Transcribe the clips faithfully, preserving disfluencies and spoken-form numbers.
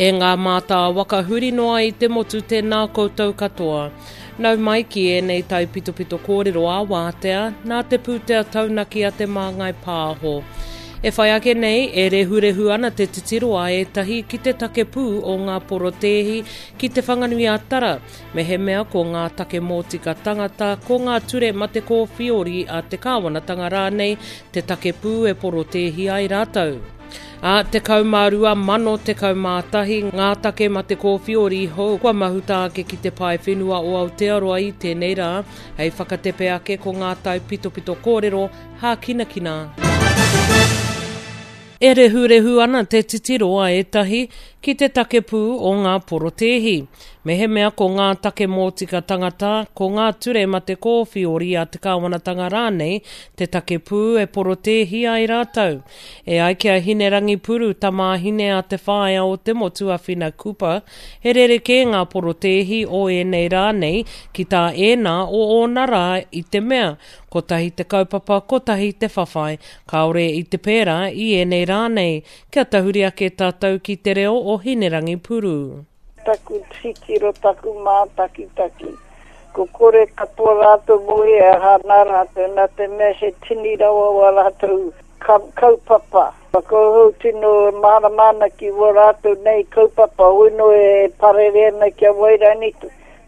E ngā mātāwaka huri noa i te motu tēnā koutou katoa. Nau mai ki ēnei taipitopito kōrero a wātea, nā te pūtea taunaki a Te Māngai Pāho. E whai ake nei, e rehurehu ana te titiro a ētahi ki te take pū o ngā porotēhi ki Te Whanganui-a-Tara, mehemea ko ngā take mōtika tangata, ko ngā ture mate kōwhiori a te kāwanatanga rānei te take pū e porotēhi ai rātou. Ā, tekau mā rua mano tekau mā tahi ngā take mate kōwhiori hou kua mahuta ake ki te pae whenua o Aotearoa i tēnei rā, hei whakatepe ake ko ngā taipitopito kōrero hākinakina. E rehurehu ana te titiro a ētahi ki te take pū o ngā porotēhi. Mehemea ko ngā take mōtika tangata, ko ngā ture mate kōwhiori a te kāwanatanga rānei te take pū e porotēhi ai rātou. E ai ki a Hinerangi Puru, tamāhine a te whaea o te motu a Whina Cooper, he rerekē ngā porotēhi o ēnei rā nei ki tā ēnā o ōna rā i te mea, kotahi te kaupapa, kotahi te whawhai, kāore i te pērā i ēnei rā nei. Kia tahuri ake tātou ki te reo o Hinerangi Puru. Taku titiro, taku mātakitaki. Ko kore katoa rātou mō e aha nā rātou, nā te mea he tini rawa wa rātou kaupapa. Ko tino mārama ana ki wā rātou nei kaupapa, hoi e parere ana ki a Wairaini,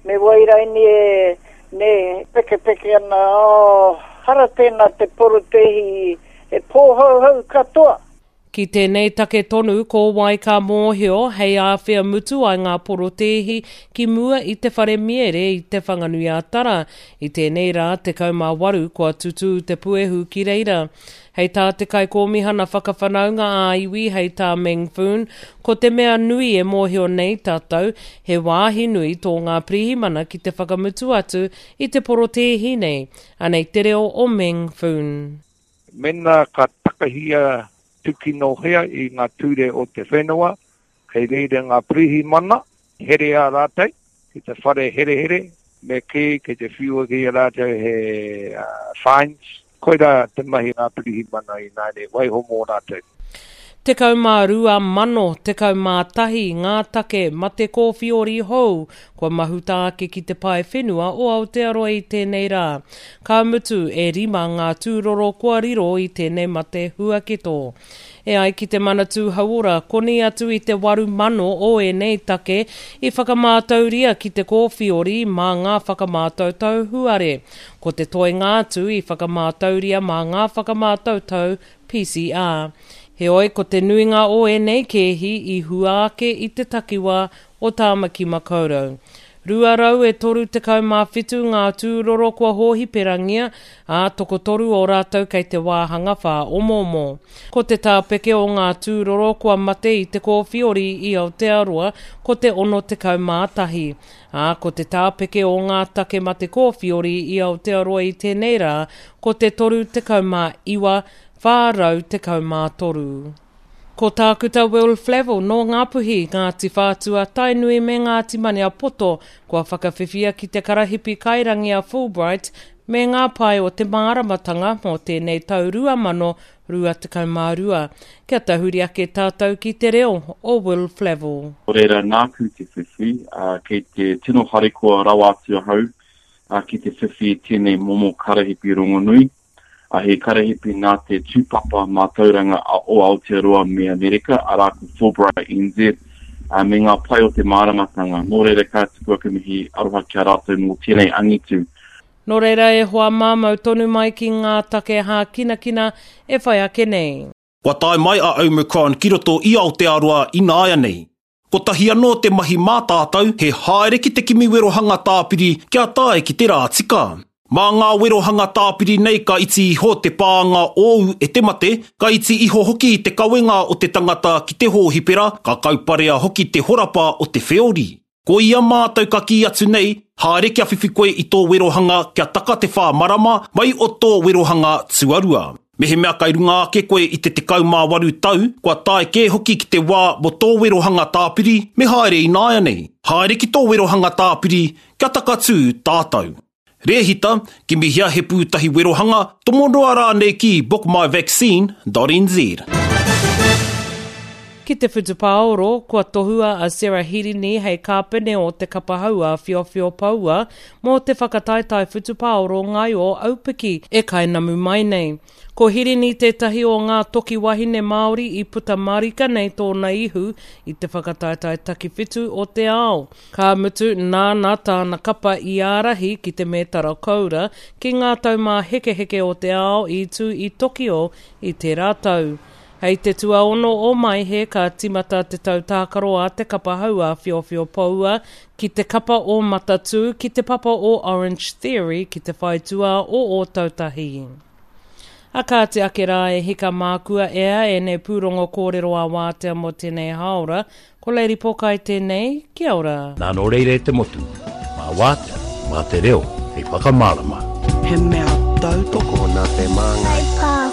me Wairaini e ne pekepeke ana, oh, hara tēnā te porotēhi e pōhauhau katoa. Ki tēnei take tonu ko wai ka mōhio hei āwhea mutu ai ngā porotēhi ki mua i te whare miere i Te Whanganui-a-Tara. I tēnei rā, tekau mā waru kua tutū te puehu ki reira. Hei tā te kaikōmihana whakawhanaunga ā-iwi hei tā Meng Foon, ko te mea nui e mōhio nei tātou, he wāhi nui tō ngā pirihimana ki te whakamutu atu i te porotēhi nei. Anei te reo o Meng Foon. Mena ka takahia tukinohea i ngā ture o te whenua, kei reira ngā pirihimana, herea rātou, ki te whare herehere, me kī, kei te whiua ki a rātou he uh, fines. Koira te mahi ngā pirihimana i nāne, waiho mō rātou. Tekau mā rua mano, tekau mā tahi ngā take mate kōwhiori hou kua mahuta ake ki te pae whenua o Aotearoa i tēnei rā. Ka mutu e rima ngā tūroro kua riro i tēnei mate huaketo. E ai ki te Manatū Hauora, koni atu i te waru mano o ēnei take i whakamātauria ki te kōwhiori mā ngā whakamātautau huare. Ko te toenga atu i whakamātauria mā ngā whakamātautau P C R. Heoi, ko te nuinga o ēnei kēhi i hua ake i te takiwā o Tāmaki Makaurau. Rua rau e toru tekau mā whitu ngā tūroro kua hōhiperangia, ā tokotoru o rātou kei te wāhanga whā omoomo. Ko te tāpeke o ngā tūroro kua mate i te kōwhiori i Aotearoa ko te ono tekau mā tahi. Ā, ko te tāpeke o ngā take mate kōwhiori i Aotearoa i tēnei rā ko te toru tekau mā iwa, whā rau tekau mā toru. Ko Tākuta Will Flavell nō Ngāpuhi, Ngāti Whātua, Tainui me Ngāti Maniapoto kua whakawhiwhia ki te karahipi kairangi a Fulbright me ngā pae o te māramatanga mō tēnei tau rua mano rua tekau mā rua. Kia tahuri ake tātou ki te reo o Will Flavell. Nō reira nāku te whiwhi, uh, kei te tino harikoa rawa atu ahau uh, ki te whiwhi tēnei momo karahipi rongonui. A he karahipi nā te tūpapa mātauranga o Aotearoa me Amerika, arā ko Fulbright N Z, uh, me ngā pai o te māramatanga. Nō reira ka tuku aku mihi aroha ki a rātou mō tēnei angitu. Nō reira e hoa māmau tonu mai ki ngā take hākinakina e whai ake nei. Kua tae mai a Omicron ki roto i Aotearoa ināianei. Kotahi anō te mahi mā tātou he haere ki te kimi werohanga tāpiri kia tae ki te rā tika. Mā ngā werohanga tāpiri nei ka iti iho te pānga ōu e te mate, ka iti iho hoki te kawenga o te tangata ki te hōhipera, ka kauparea hoki te horapa o te wheori. Ko ia mātou ka kī atu nei, haere kia whiwhi koe i tō werohanga kia taka te whā marama mai o tō werohanga tuarua. Mehemea kai runga ake koe i te tekau mā waru tau, kua tae kē hoki ki te wā mō tō werohanga tāpiri, me haere ināianei. Haere ki tō werohanga tāpiri, kia takatū tātou. Rēhita, kimihia he pūtahi werohanga, tomo noa rānei ki book my vaccine dot N Z. Ki te whutupaoro, kua tohua a Sarah Hirini hei kāpene o te kapa hau āwhiowhio poua mō te whakataetae whutupaoro ngaio aupiki e kainamu mai nei. Ko Hirini tētahi o ngā toki wahine Māori i puta marika nei tōna ihu i te whakataetae takiwhitu o te ao. Ka mutu, nāna tāna kapa i ārahi ki te mētara koura ki ngā taumāhekeheke o te ao i tū i Tokio i tērā tau. Hei te tuaono o Maehe ka timata te tau tākaro a te kapa hau āwhiowhio poua ki te kapa o Matatū ki te papa o Orange Theory ki te whaitua o Ōtautahi. A kāti ake rā e hika mākua ea ēnei pūrongo kōrero a wātea mō tēnei hāora, ko Lady Pokai tēnei, kia ora. Nā nō reira e te motu, mā wātea, mā te reo, hei whakamārama. He mea tautoko Tokona te māngai.